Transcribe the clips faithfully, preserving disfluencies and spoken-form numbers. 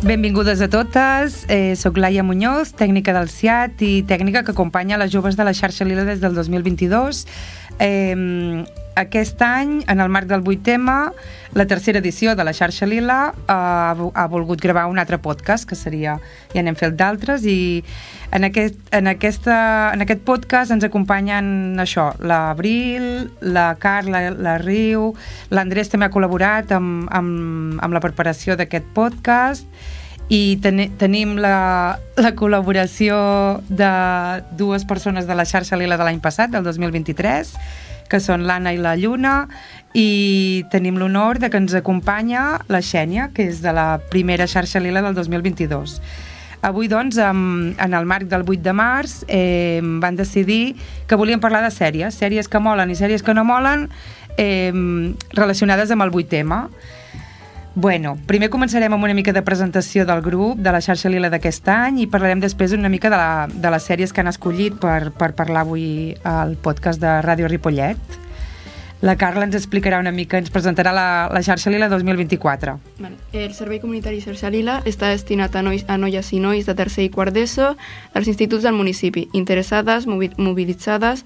Benvingudes a totes, eh, soc Laia Muñoz, tècnica del S I A T i tècnica que acompanya les joves de la xarxa Lila des del dos mil vint-i-dos. Eh, aquest any, en el marc del vuit ema, la tercera edició de la xarxa Lila ha, ha volgut gravar un altre podcast, que seria, ja n'hem fet d'altres, i en aquest, en, aquesta, en aquest podcast ens acompanyen això, l'Abril, la Carla, la Riu, l'Andrés també ha col·laborat amb, amb, amb la preparació d'aquest podcast, i ten tenim la, la col·laboració de dues persones de la xarxa Lila de l'any passat, del dos mil vint-i-tres, que són l'Anna i la Lluna, i tenim l'honor de que ens acompanya la Xènia, que és de la primera xarxa Lila del dos mil vint-i-dos. Avui, doncs, en, en el marc del vuit de març, eh, van decidir que volien parlar de sèries, sèries que molen i sèries que no molen, eh, relacionades amb el vuit ema. Bueno, primer començarem amb una mica de presentació del grup, de la xarxa Lila d'aquest any, i parlarem després una mica de, la, de les sèries que han escollit per, per parlar avui al podcast de Ràdio Ripollet. La Carla ens explicarà una mica, ens presentarà la, la xarxa Lila dos mil vint-i-quatre. Vale. El Servei Comunitari Xarxa Lila està destinat a, nois, a noies i nois de tercer i quart d'ESO dels instituts del municipi, interessades, mobilitzades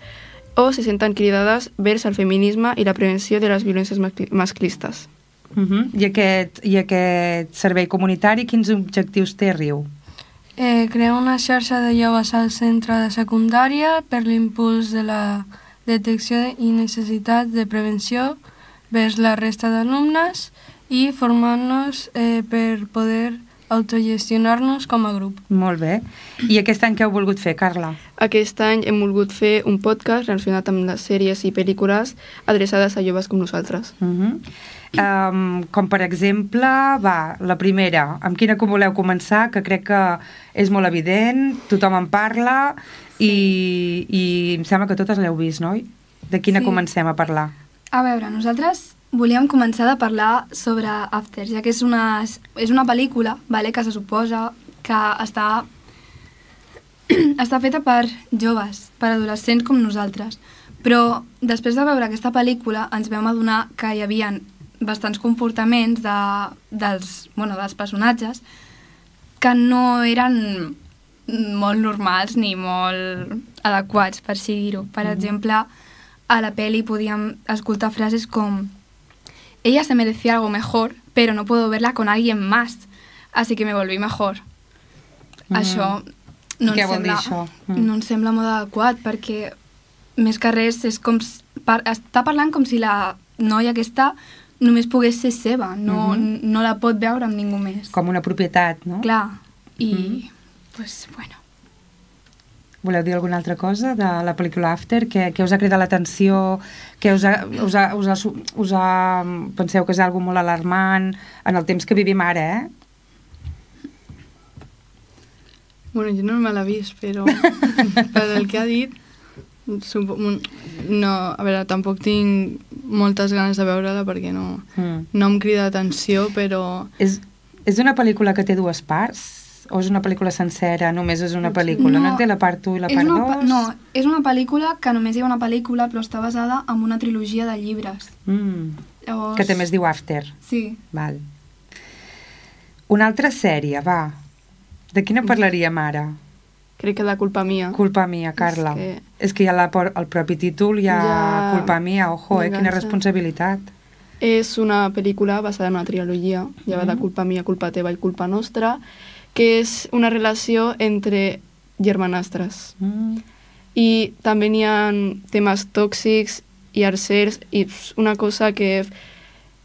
o se senten cridades vers el feminisme i la prevenció de les violències masclistes. Uh -huh. I, aquest, I aquest servei comunitari, quins objectius té, Riu? Eh, crear una xarxa de joves al centre de secundària per l'impuls de la detecció i necessitat de prevenció vers la resta d'alumnes i formar-nos eh, per poder autogestionar-nos com a grup. Molt bé. I aquest any què heu volgut fer, Carla? Aquest any hem volgut fer un podcast relacionat amb les sèries i pel·lícules adreçades a joves com nosaltres. Uh -huh. um, com per exemple, va, la primera, amb quina que voleu començar, que crec que és molt evident, tothom en parla, sí. i, i em sembla que totes l'heu vist, no? De quina sí. comencem a parlar? A veure, nosaltres volíem començar de parlar sobre After, ja que és una, és una pel·lícula, vale, que se suposa que està, està feta per joves, per adolescents com nosaltres. Però després de veure aquesta pel·lícula ens vam adonar que hi havia bastants comportaments de, dels, bueno, dels personatges que no eren molt normals ni molt adequats, per així dir-ho. Per mm. exemple, a la pel·li podíem escoltar frases com ella se merecía algo mejor, pero no puedo verla con alguien más, así que me volví mejor. Mm. Això no ens, sembla, mm. no ens sembla molt adequat, perquè més que res és com, par, està parlant com si la noia aquesta només pogués ser seva, no, mm-hmm. no la pot veure amb ningú més. Com una propietat, no? Clar, i, mm. pues, bueno. Voleu dir alguna altra cosa de la pel·lícula After? Què, què us ha cridat l'atenció? Què us ha, us ha, us ha, us ha, penseu que és algo molt alarmant en el temps que vivim ara, eh? Bueno, jo no me l'he vist, però per el que ha dit, no, a veure, tampoc tinc moltes ganes de veure-la perquè no, mm. no em crida atenció, però... És, és una pel·lícula que té dues parts? O és una pel·lícula sencera, només és una pel·lícula? No, no té la part u i la part dos? No, és una pel·lícula que només hi ha una pel·lícula, però està basada en una trilogia de llibres. Mm. Llavors... Que també es diu After. Sí. Val. Una altra sèrie, va. De quina parlaríem ara? Crec que de Culpa Mia. Culpa Mia, Carla. És que, és que hi ha la, el propi títol, hi ha ja... Culpa Mia, ojo, eh, quina responsabilitat. És una pel·lícula basada en una trilogia, ja va mm. de Culpa Mia, Culpa Teva i Culpa Nostra, que és una relació entre germanastres. Mm. I també hi ha temes tòxics i arcers, i una cosa que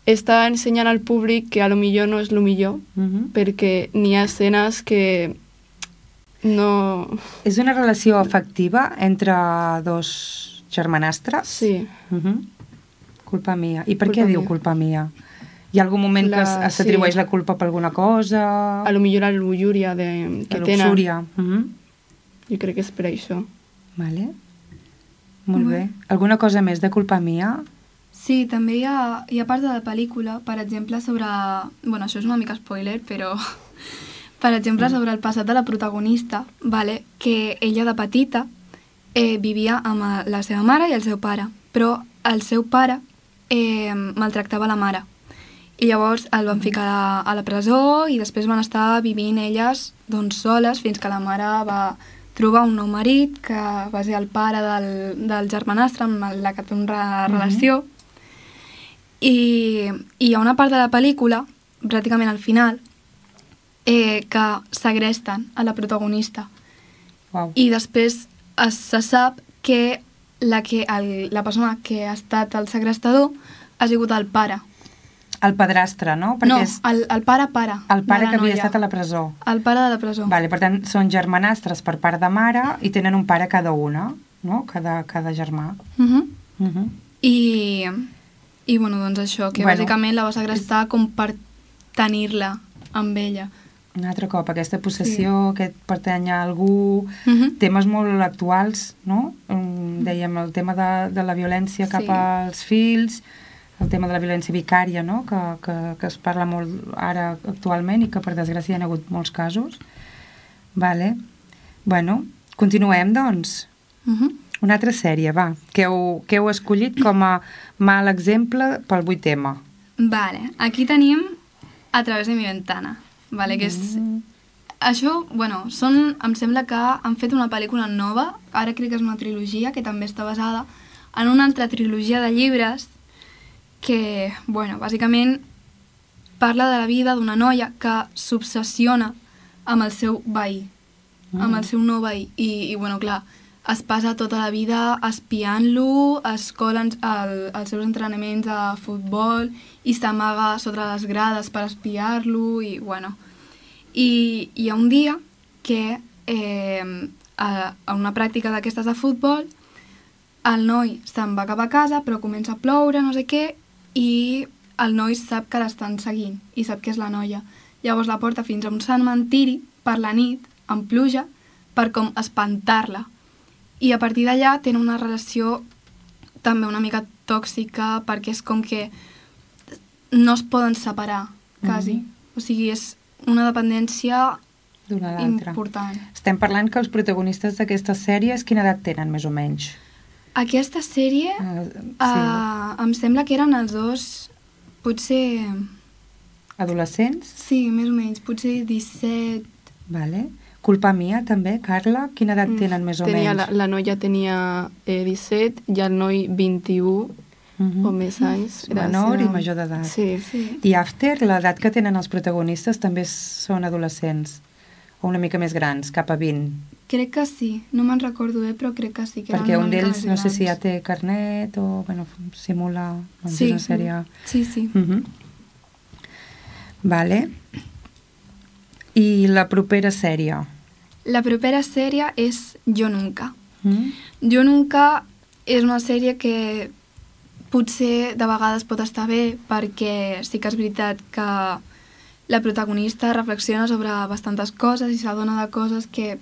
està ensenyant al públic que a lo millor no és lo millor, mm-hmm. perquè n'hi ha escenes que no... És una relació afectiva entre dos germanastres? Sí. Mm-hmm. Culpa Mia. I per culpa què mia. Diu Culpa Mia? Hi ha algun moment la, que s'atribueix sí. la culpa per alguna cosa? A lo millor la luxúria de, que la tenen. La luxúria. Mm-hmm. Jo crec que és per això. Vale. Molt bé. Alguna cosa més de Culpa Mia? Sí, també hi ha, hi ha part de la pel·lícula, per exemple, sobre... Bueno, això és una mica spoiler, però... Per exemple, sobre el passat de la protagonista, vale? Que ella de petita eh, vivia amb la seva mare i el seu pare, però el seu pare eh, maltractava la mare. i llavors el van ficar a la, a la presó i després van estar vivint elles doncs, soles fins que la mare va trobar un nou marit que va ser el pare del, del germanastre amb la que té una relació. Mm-hmm. I, I hi ha una part de la pel·lícula, pràcticament al final, eh, que segresten a la protagonista. Wow. I després es, se sap que la, que el, la persona que ha estat el segrestador ha sigut el pare. El padrastre, no? Perquè no, és... el, el pare-pare. El pare que havia estat a la presó. El pare de la presó. Vale, per tant, són germanastres per part de mare i tenen un pare cada una, no? Cada, cada germà. Uh -huh. Uh -huh. I, I, bueno, doncs això, que bueno, bàsicament la va segrestar com per tenir-la amb ella. Un altre cop, aquesta possessió, sí. aquest pertany a algú, uh -huh. temes molt actuals, no? Um, dèiem, el tema de, de la violència cap sí. als fills, el tema de la violència vicària, no? que, que, que es parla molt ara actualment i que per desgràcia hi ha hagut molts casos. Vale. Bueno, continuem, doncs. Uh -huh. Una altra sèrie, va, que heu, que heu escollit com a mal exemple pel vuit ema. Vale, aquí tenim A través de mi ventana. Vale, que és... Mm. Això, bueno, són, em sembla que han fet una pel·lícula nova, ara crec que és una trilogia, que també està basada en una altra trilogia de llibres que, bueno, bàsicament parla de la vida d'una noia que s'obsessiona amb el seu veí, mm. amb el seu nou veí. I, i, bueno, clar, es passa tota la vida espiant-lo, es cola el, els seus entrenaments a futbol i s'amaga sota les grades per espiar-lo i, bueno... I hi ha un dia que eh, a, a una pràctica d'aquestes de futbol el noi se'n va cap a casa però comença a ploure, no sé què, i el noi sap que l'estan seguint i sap que és la noia. Llavors la porta fins a un cementiri per la nit, amb pluja, per com espantar-la. I a partir d'allà tenen una relació també una mica tòxica perquè és com que no es poden separar, quasi. Mm-hmm. O sigui, és una dependència important. Estem parlant que els protagonistes d'aquestes sèries quina edat tenen, més o menys? Aquesta sèrie, uh, sí. uh, em sembla que eren els dos, potser... Adolescents? Sí, més o menys, potser disset... Vale. Culpa mia, també, Carla? Quina edat tenen, més o tenia, menys? La, la noia tenia eh, disset i el noi vint-i-u. Uh-huh. O més anys. Menor seva... i major d'edat. Sí, sí. I After, l'edat que tenen els protagonistes també són adolescents, o una mica més grans, cap a vint. Crec que sí, no me'n recordo bé, però crec que sí. Que perquè un d'ells, no sé si ja té carnet o, bueno, simula... Doncs sí, una sèrie... sí, sí. Uh-huh. Vale. I la propera sèrie? La propera sèrie és Jo Nunca. Mm? Jo Nunca és una sèrie que potser de vegades pot estar bé perquè sí que és veritat que la protagonista reflexiona sobre bastantes coses i s'adona de coses que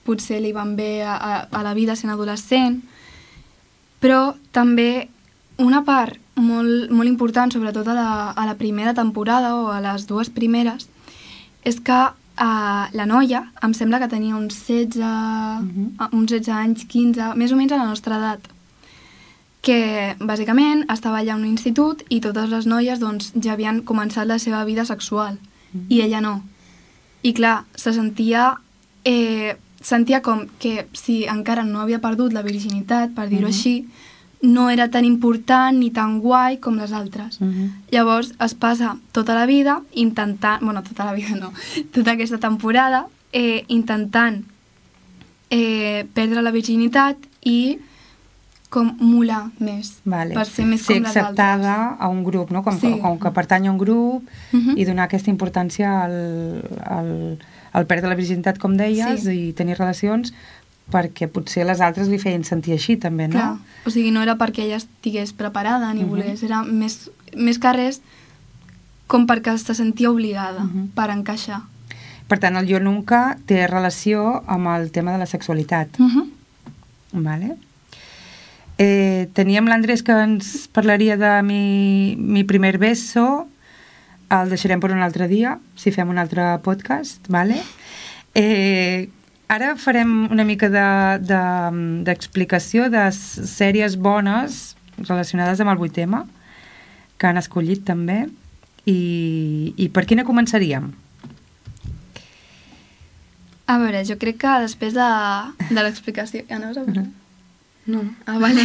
potser li van bé a, a, a la vida sent adolescent, però també una part molt, molt important, sobretot a la, a la primera temporada o a les dues primeres, és que uh, la noia, em sembla que tenia uns setze, uh-huh. uns setze anys, quinze, més o menys a la nostra edat, que bàsicament estava allà a un institut i totes les noies doncs, ja havien començat la seva vida sexual mm. i ella no. I clar, se sentia, eh, sentia com que si encara no havia perdut la virginitat, per dir-ho mm-hmm. així, no era tan important ni tan guai com les altres. Mm-hmm. Llavors es passa tota la vida intentant, bueno, tota la vida no, tota aquesta temporada, eh, intentant eh, perdre la virginitat i com molar més, vale. Per ser més ser com les altres. Ser acceptada a un grup, no? Com, sí. com que pertany a un grup uh-huh. i donar aquesta importància al, al, al perdre la virginitat, com deies, sí. i tenir relacions, perquè potser les altres li feien sentir així, també, no? Clar. O sigui, no era perquè ella estigués preparada ni uh-huh. volgués, era més, més que res com perquè se sentia obligada uh-huh. per encaixar. Per tant, el Jo Nunca té relació amb el tema de la sexualitat. Uh-huh. Vale. Eh, teníem l'Andrés que ens parlaria de mi, mi primer beso, el deixarem per un altre dia, si fem un altre podcast, vale? Eh, ara farem una mica d'explicació de, de, sèries bones relacionades amb el vuit ema, que han escollit també, I, i per quina començaríem? A veure, jo crec que després de, de l'explicació... Ja no us ha parlat? No. Ah, vale.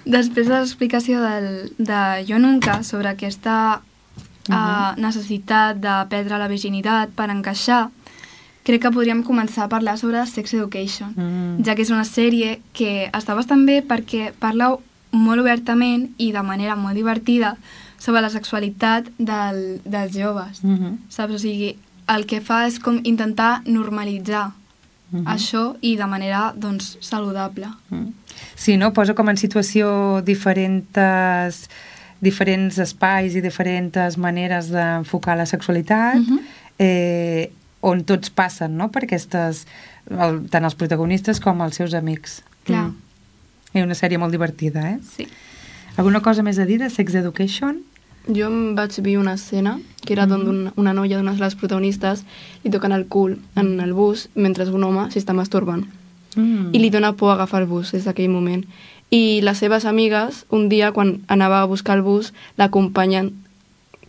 Després de l'explicació del, de Jo Nunca sobre aquesta uh, uh, necessitat de perdre la virginitat per encaixar, crec que podríem començar a parlar sobre Sex Education, mm. ja que és una sèrie que està bastant bé perquè parla molt obertament i de manera molt divertida sobre la sexualitat del, dels joves, mm-hmm. saps? O sigui, el que fa és com intentar normalitzar mm-hmm. això i de manera, doncs, saludable. Mm. Sí, no? Posa com en situació diferents, diferents espais i diferents maneres d'enfocar la sexualitat, mm-hmm. eh, on tots passen, no?, per aquestes, el, tant els protagonistes com els seus amics. Clar. Mm. És una sèrie molt divertida, eh? Sí. Alguna cosa més a dir de Sex Education? Jo em vaig dir una escena que era mm-hmm. d'on una noia d'una de les protagonistes li toquen el cul en el bus mentre un home s'està masturbant. Mm. I li dona por agafar el bus des d'aquell moment. I les seves amigues, un dia, quan anava a buscar el bus, l'acompanyen,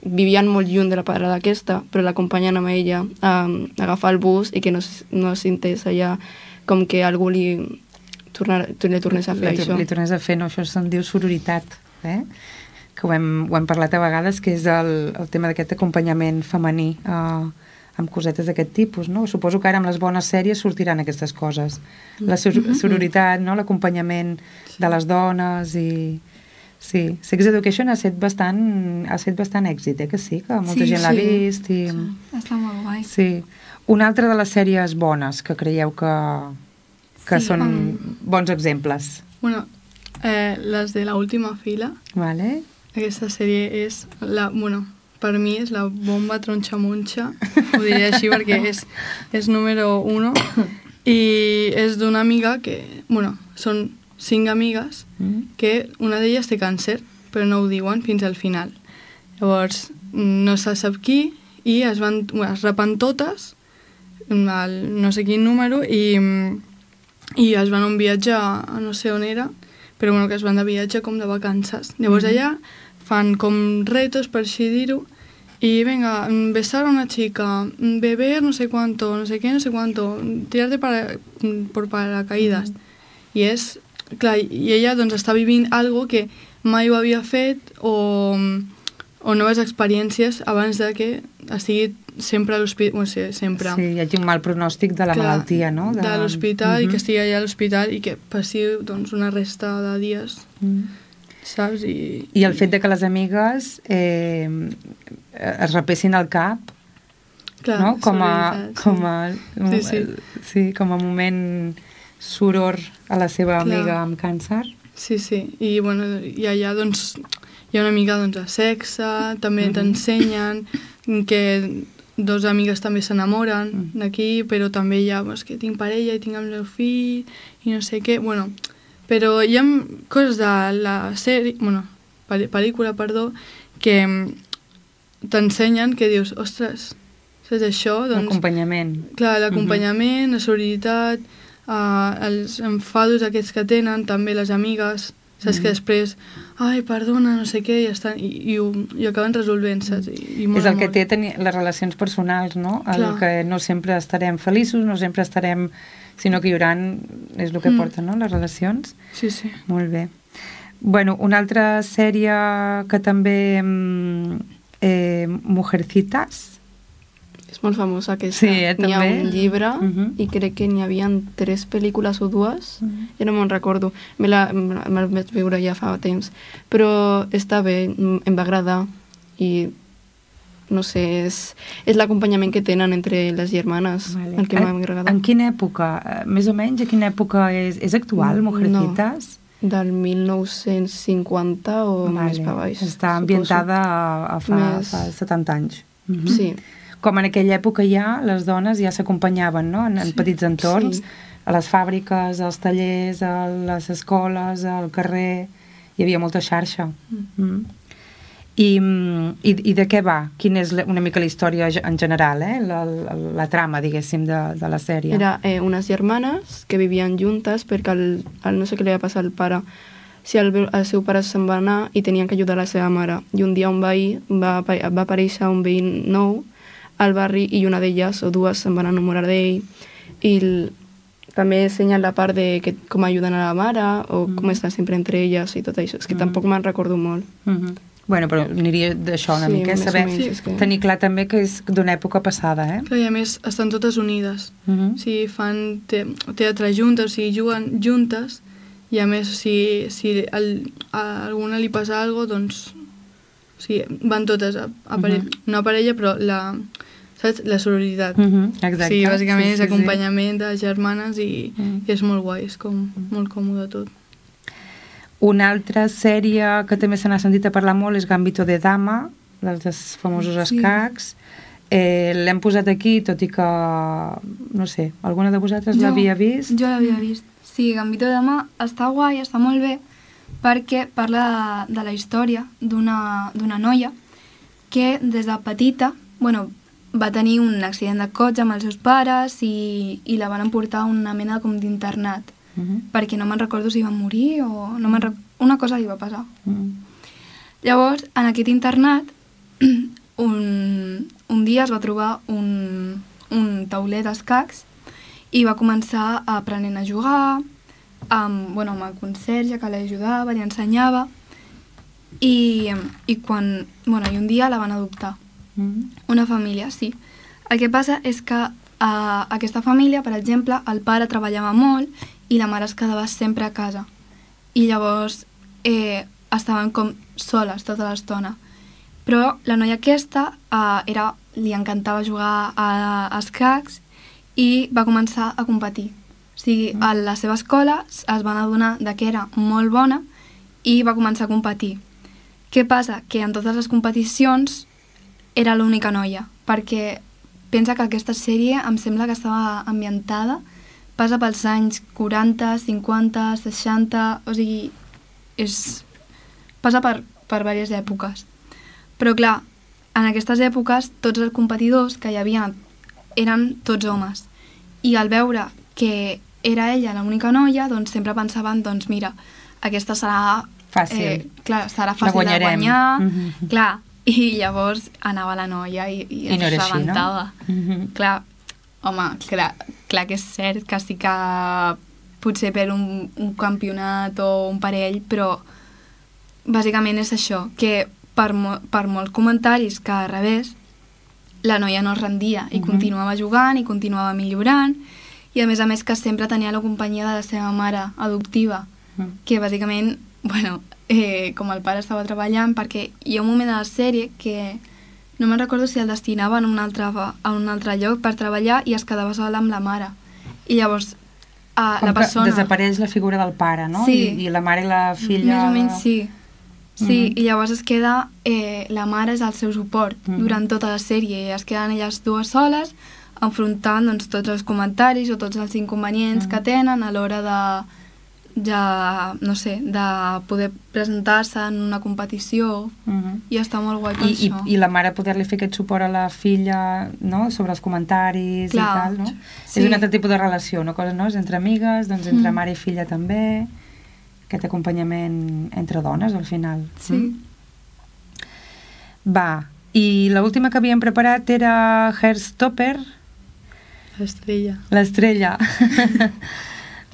vivien molt lluny de la parada aquesta, però l'acompanyen amb ella a, a agafar el bus i que no, no s'intés allà com que algú li, tornar, li tornés a fer li, això. Li tornés a fer, no, això se'n diu sororitat, eh? Que ho hem, ho hem parlat a vegades, que és el, el tema d'aquest acompanyament femení eh, amb cosetes d'aquest tipus, no? Suposo que ara amb les bones sèries sortiran aquestes coses. La sororitat, no? L'acompanyament de les dones i... Sí, Sex Education ha estat bastant, ha estat bastant èxit, eh? Que sí, que molta sí, gent sí. l'ha vist. I... Sí. Està molt guai. Sí. Una altra de les sèries bones que creieu que, que sí, són um... bons exemples. Bueno, eh, les de La Última Fila. Vale. Aquesta sèrie és la... Bueno, per mi és la bomba tronxa-monxa, ho diré així perquè és, és número uno, i és d'una amiga que, bueno, són cinc amigues, mm. que una d'elles té càncer, però no ho diuen fins al final. Llavors, no se sap qui, i es van, es rapen totes, el no sé quin número, i, i es van a un viatge a, a no sé on era, però bueno, que es van de viatge com de vacances. Llavors mm. allà fan com retos, per així dir-ho, y venga, besar a una chica, beber no sé cuánto, no sé qué, no sé cuánto, tirarte para, por paracaídas. Mm. I és, clar, i ella doncs està vivint algo que mai ho havia fet o, o noves experiències abans de que estigui sempre a l'hospital, bueno, sí, sempre. Sí, hi hagi un mal pronòstic de la clar, malaltia, no? De, de l'hospital, uh-huh. i que estigui allà a l'hospital i que passi doncs, una resta de dies... Mm. Saps? I, I el fet de que les amigues eh, es repessin al cap, clar, no? Com a, com a, sí, sí. Sí, com a moment soror a la seva clar. amiga amb càncer. Sí, sí. I, bueno, i allà doncs, hi ha una mica doncs, de sexe, també uh-huh. t'ensenyen que dos amigues també s'enamoren uh-huh. d'aquí, però també hi ha doncs, que tinc parella i tinc el meu fill i no sé què. Bueno, però hi ha coses de la sèrie, bueno, pel·lícula, perdó, que t'ensenyen que dius, ostres, saps això? Doncs, l'acompanyament. Clar, l'acompanyament, uh-huh. la solidaritat, uh, els enfados aquests que tenen, també les amigues, saps uh-huh. que després, ai, perdona, no sé què, i, estan, i, i, ho, i ho acaben resolvent, saps? I, i és el molt. que té tenir les relacions personals, no? El que no sempre estarem feliços, no sempre estarem... sinó que hi haurà, és el que mm. porten, no?, les relacions. Sí, sí. Molt bé. Bueno, una altra sèrie que també... Eh, Mujercitas. És molt famosa aquesta. Sí, eh, també. N'hi ha un llibre uh-huh. i crec que n'hi havia tres pel·lícules o dues. Uh-huh. Ja no me'n recordo. Me la, me la vaig veure ja fa temps. Però està bé, em va agradar i... no sé, és, és l'acompanyament que tenen entre les germanes, vale. El que m'ha agradat. En quina època, més o menys, a quina època és, és actual, Mujercitas? No, del mil nou-cents cinquanta o vale. Més per baix. Està ambientada a, a fa, més... fa setanta anys. Mm-hmm. Sí. Com en aquella època ja, les dones ja s'acompanyaven, no?, en, en sí. petits entorns, sí. a les fàbriques, als tallers, a les escoles, al carrer, hi havia molta xarxa. Mm. Mm. I, i, i de què va? Quina és una mica la història en general, eh? la, la, la trama, diguéssim, de, de la sèrie? Era eh, unes germanes que vivien juntes perquè el, el no sé què li va passar al pare si el, el seu pare se'n va anar i tenien que ajudar la seva mare. I un dia un veí va, va aparèixer un veí nou al barri i una d'elles o dues se'n van enamorar d'ell i el, també ensenyen la part de que, com ajuden a la mare o mm. com estan sempre entre elles i tot això. És que mm. tampoc me'n recordo molt. Mm -hmm. Bueno, però aniria d'això una sí, mica, eh? Saber, menys, és que... tenir clar també que és d'una època passada, eh? Clar, i a més estan totes unides. Mm -hmm. O sigui, fan te teatre juntes, o sigui, juguen juntes i a més, si, si el, a alguna li passa alguna cosa, doncs o sigui, van totes a, a parella, mm -hmm. no a parella, però la, saps? La sororitat. Mm -hmm. Exacte. Sí, bàsicament sí, sí, és acompanyament sí. de germanes i, mm. i és molt guai, és com molt còmode tot. Una altra sèrie que també se n'ha sentit a parlar molt és Gambito de Dama, dels famosos sí. escacs. Eh, L'hem posat aquí, tot i que, no sé, alguna de vosaltres l'havia vist? Jo l'havia vist. Sí, Gambito de Dama està guai, està molt bé, perquè parla de, de la història d'una noia que des de petita, bueno, va tenir un accident de cotxe amb els seus pares i, i la van emportar a una mena com d'internat. Uh -huh. Perquè no me'n recordo si va morir o... No me'n una cosa li va passar. Uh -huh. Llavors, en aquest internat, un, un dia es va trobar un, un tauler d'escacs i va començar aprenent a jugar amb, bueno, amb el conserge que l'ajudava, li ensenyava i, i quan... Bueno, i un dia la van adoptar. Uh -huh. Una família, sí. El que passa és que a aquesta família, per exemple, el pare treballava molt i la mare es quedava sempre a casa. I llavors eh, estaven com soles tota l'estona. Però la noia aquesta eh, era, li encantava jugar a, a escacs i va començar a competir. O sigui, a la seva escola es van adonar de que era molt bona i va començar a competir. Què passa? Que en totes les competicions era l'única noia, perquè pensa que aquesta sèrie em sembla que estava ambientada passa pels anys quaranta, cinquanta, seixanta, o sigui, és, passa per, per diverses èpoques. Però clar, en aquestes èpoques tots els competidors que hi havia eren tots homes. I al veure que era ella l'única noia, doncs sempre pensaven, doncs mira, aquesta serà... Fàcil. Eh, clar, serà fàcil de guanyar. Mm-hmm. Clar, i llavors anava la noia i, i, I no es era així, rebentava. No? Mm-hmm. Clar, home, clar, clar que és cert que sí que potser per un, un campionat o un parell, però bàsicament és això, que per, mo per molts comentaris que rebés, la noia no es rendia i uh-huh. continuava jugant i continuava millorant i a més a més que sempre tenia la companyia de la seva mare adoptiva, uh-huh. que bàsicament, bueno, eh, com el pare estava treballant, perquè hi ha un moment de la sèrie que no me'n recordo si el destinaven a un altre, a un altre lloc per treballar i es quedava sola amb la mare. I llavors uh, la persona... desapareix la figura del pare, no? Sí. I, i la mare i la filla... Més o menys sí. Sí, uh-huh. i llavors es queda... Eh, la mare és el seu suport uh-huh. durant tota la sèrie. Es queden elles dues soles enfrontant doncs, tots els comentaris o tots els inconvenients uh-huh. que tenen a l'hora de... ja, no sé, de poder presentar-se en una competició uh-huh. i està molt guai per I, això. I, I la mare poder-li fer aquest suport a la filla, no?, sobre els comentaris. Clar. I tal, no? Sí. És un altre tipus de relació, no? Coses, no? És entre amigues, doncs entre mm. mare i filla també, aquest acompanyament entre dones al final. Sí. Mm? Va, i l'última que havíem preparat era Heartstopper. L'estrella. L'estrella.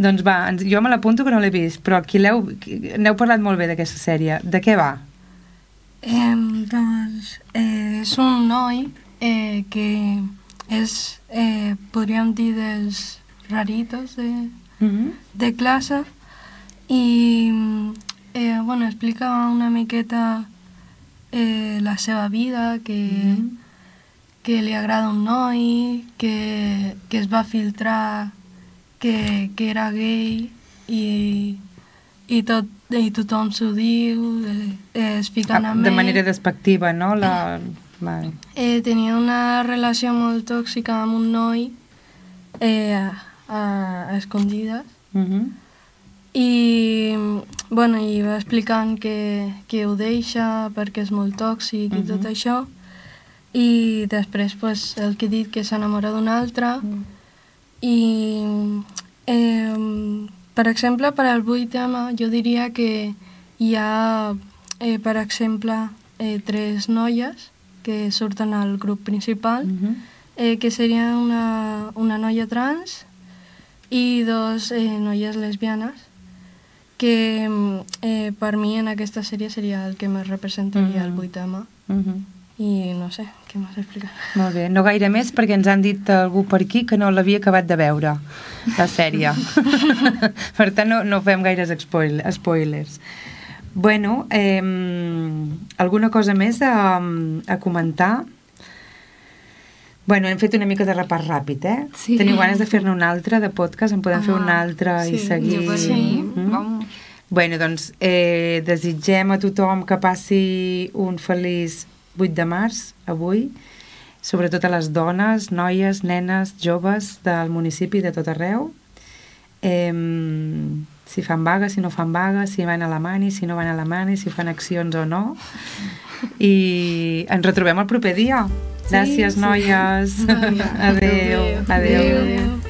Doncs va, jo me l'apunto que no l'he vist, però aquí n'heu parlat molt bé d'aquesta sèrie. De què va? Eh, doncs eh, és un noi eh, que és, eh, podríem dir, dels raritos de, mm-hmm. de classe i eh, bueno, explica una miqueta eh, la seva vida, que, mm-hmm. que li agrada un noi, que, que es va filtrar que, que era gay i, i, tot, i tothom s'ho diu, eh, es fiquen amb ell. De manera despectiva, no? La... Vale. Eh, tenia una relació molt tòxica amb un noi eh, a, a escondides uh-huh. i, bueno, i va explicant que, que ho deixa perquè és molt tòxic uh-huh. i tot això i després pues, el que he dit que s'enamora d'un altre uh-huh. i eh, per exemple, per al vuit ema, jo diria que hi ha, eh, per exemple, eh, tres noies que surten al grup principal, Mhm. eh, que serien una, una noia trans i dos eh, noies lesbianes, que eh, per mi en aquesta sèrie seria el que més representaria Mhm. el vuit ema. Mhm. I no sé, què m'has explicat? Molt bé, no gaire més perquè ens han dit algú per aquí que no l'havia acabat de veure, la sèrie. Per tant, no, no fem gaires spoil spoilers. Bueno, eh, alguna cosa més a, a comentar? Bueno, hem fet una mica de repàs ràpid, eh? Sí. Teniu ganes de fer-ne un altre de podcast? En podem Home, fer un altre i sí, seguir? Jo per mi, Mm? vamos. Bueno, doncs eh, desitgem a tothom que passi un feliç vuit de març, avui, sobretot a les dones, noies, nenes, joves del municipi de tot arreu. Eh, si fan vaga, si no fan vaga, si van a la mani, si no van a la mani, si fan accions o no. I ens retrobem el proper dia. Gràcies, sí. noies. Adéu. Adéu. Adéu. Adéu.